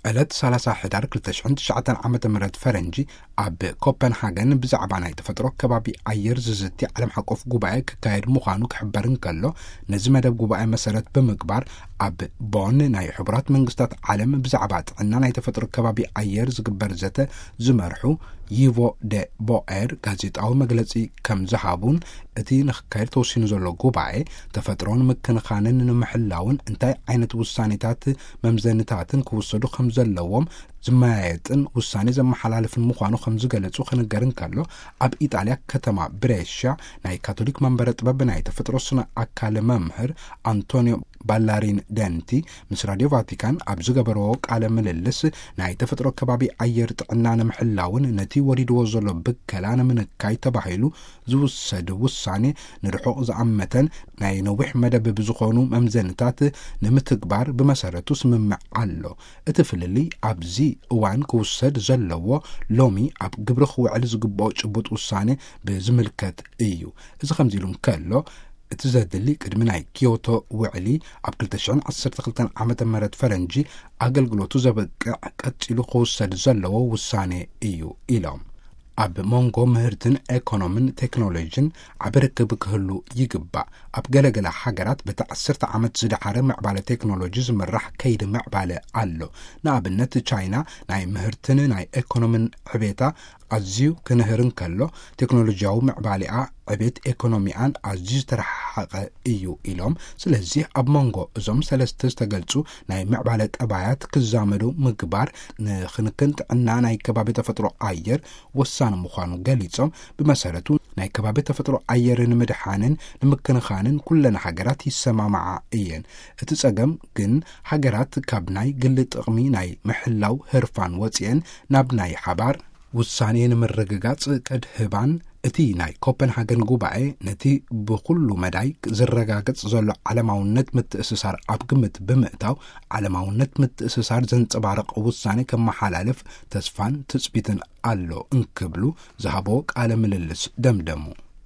ዕለት ሰላሳ ሕዳር ክልተ ሽሕን ትሽዓተን ዓመተ ምህረት ፈረንጂ ኣብ ኮፐንሃገን ብዛዕባ ናይ ተፈጥሮ ከባቢ ኣየር ዝዝቲ ዓለም ሓቆፍ ጉባኤ ክካየድ ምዃኑ ክሕበር እንከሎ፣ ነዚ መደብ ጉባኤ መሰረት ብምግባር ኣብ ቦን ናይ ሕቡራት መንግስታት ዓለም ብዛዕባ ጥዕና ናይ ተፈጥሮ ከባቢ ኣየር ዝግበር ዘተ ዝመርሑ ይቮ ደ ቦኤር ጋዜጣዊ መግለጺ ከም ዝሃቡን፣ እቲ ንክካየድ ተወሲኑ ዘሎ ጉባኤ ተፈጥሮን ምክንኻንን ንምሕላውን እንታይ ዓይነት ውሳኔታት መምዘንታትን ክውሰዱ ከም ዘለዎም ዝመያየጥን ውሳኔ ዘመሓላልፍን ምዃኑ ከም ዝገለጹ ክንገር እንከሎ፣ ኣብ ኢጣልያ ከተማ ብሬሻ ናይ ካቶሊክ መንበረ ጥበብ ናይ ተፈጥሮ ስነ ኣካል መምህር ኣንቶኒዮ ባላሪን ደንቲ ምስ ራድዮ ቫቲካን ኣብ ዝገበርዎ ቃለ ምልልስ፣ ናይ ተፈጥሮ ከባቢ ኣየር ጥዕና ንምሕላውን ነቲ ወሪድዎ ዘሎ ብከላ ንምንካይ ተባሂሉ ዝውሰድ ውሳኔ ንርሑቕ ዝኣመተን ናይ ነዊሕ መደብ ብዝኾኑ መምዘንታት ንምትግባር ብመሰረቱ ስምምዕ ኣሎ። እቲ ፍልልይ ኣብዚ እዋን ክውሰድ ዘለዎ ሎሚ ኣብ ግብሪ ክውዕል ዝግብኦ ጭቡጥ ውሳኔ ብዝምልከት እዩ። እዚ ከምዚ ኢሉ እንከሎ፣ እቲ ዘድሊ ቅድሚ ናይ ኪዮቶ ውዕሊ ኣብ ክልተ ሽሕን ዓሰርተ ክልተን ዓመተ ምህረት ፈረንጂ ኣገልግሎቱ ዘብቅዕ ቀጺሉ ክውሰድ ዘለዎ ውሳኔ እዩ ኢሎም። ኣብ መንጎ ምህርትን ኤኮኖምን ቴክኖሎጂን ዓቢ ርክብ ክህሉ ይግባእ። ኣብ ገለገለ ሃገራት በቲ ዓሰርተ ዓመት ዝደሓረ ምዕባለ ቴክኖሎጂ ዝምራሕ ከይዲ ምዕባለ ኣሎ። ንኣብነት ቻይና ናይ ምህርትን ናይ ኤኮኖምን ዕቤታ ኣዝዩ ክንህር እንከሎ፣ ቴክኖሎጂያዊ ምዕባሊኣ ዕቤት ኤኮኖሚኣን ኣዝዩ ዝተረሓሓቐ እዩ ኢሎም። ስለዚህ ኣብ መንጎ እዞም ሰለስተ ዝተገልጹ ናይ ምዕባለ ጠባያት ክዛመዱ ምግባር ንክንክን ጥዕና ናይ ከባቢ ተፈጥሮ ኣየር ወሳኒ ምዃኑ ገሊጾም፣ ብመሰረቱ ናይ ከባቢ ተፈጥሮ ኣየር ንምድሓንን ንምክንኻንን ኩለን ሃገራት ይሰማማዓ እየን። እቲ ጸገም ግን ሃገራት ካብ ናይ ግሊ ጥቕሚ ናይ ምሕላው ህርፋን ወጺኤን ናብ ናይ ሓባር ውሳኔ ንምርግጋጽ ከድህባን፣ እቲ ናይ ኮፐንሃገን ጉባኤ ነቲ ብኹሉ መዳይ ዝረጋገጽ ዘሎ ዓለማውነት ምትእስሳር ኣብ ግምት ብምእታው፣ ዓለማውነት ምትእስሳር ዘንጸባርቕ ውሳኔ ከመሓላልፍ ተስፋን ትጽቢትን ኣሎ እንክብሉ ዝሃቦ ቃለ ምልልስ ደምደሙ።